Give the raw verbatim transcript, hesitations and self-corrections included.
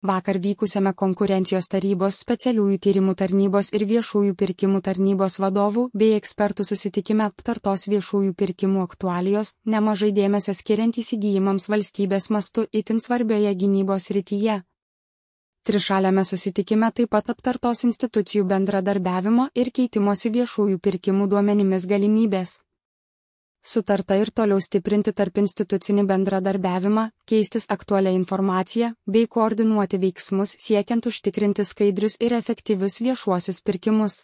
Vakar vykusiame konkurencijos tarybos, specialiųjų tyrimų tarnybos ir viešųjų pirkimų tarnybos vadovų bei ekspertų susitikime aptartos viešųjų pirkimų aktualijos, nemažai dėmesio skiriant įsigijimams valstybės mastu itin svarbioje gynybos srityje. Trišaliame susitikime taip pat aptartos institucijų bendradarbiavimo ir keitimosi viešųjų pirkimų duomenimis galimybės. Sutarta ir toliau stiprinti tarp institucinį bendradarbiavimą, keistis aktualią informaciją, bei koordinuoti veiksmus siekiant užtikrinti skaidrius ir efektyvius viešuosius pirkimus.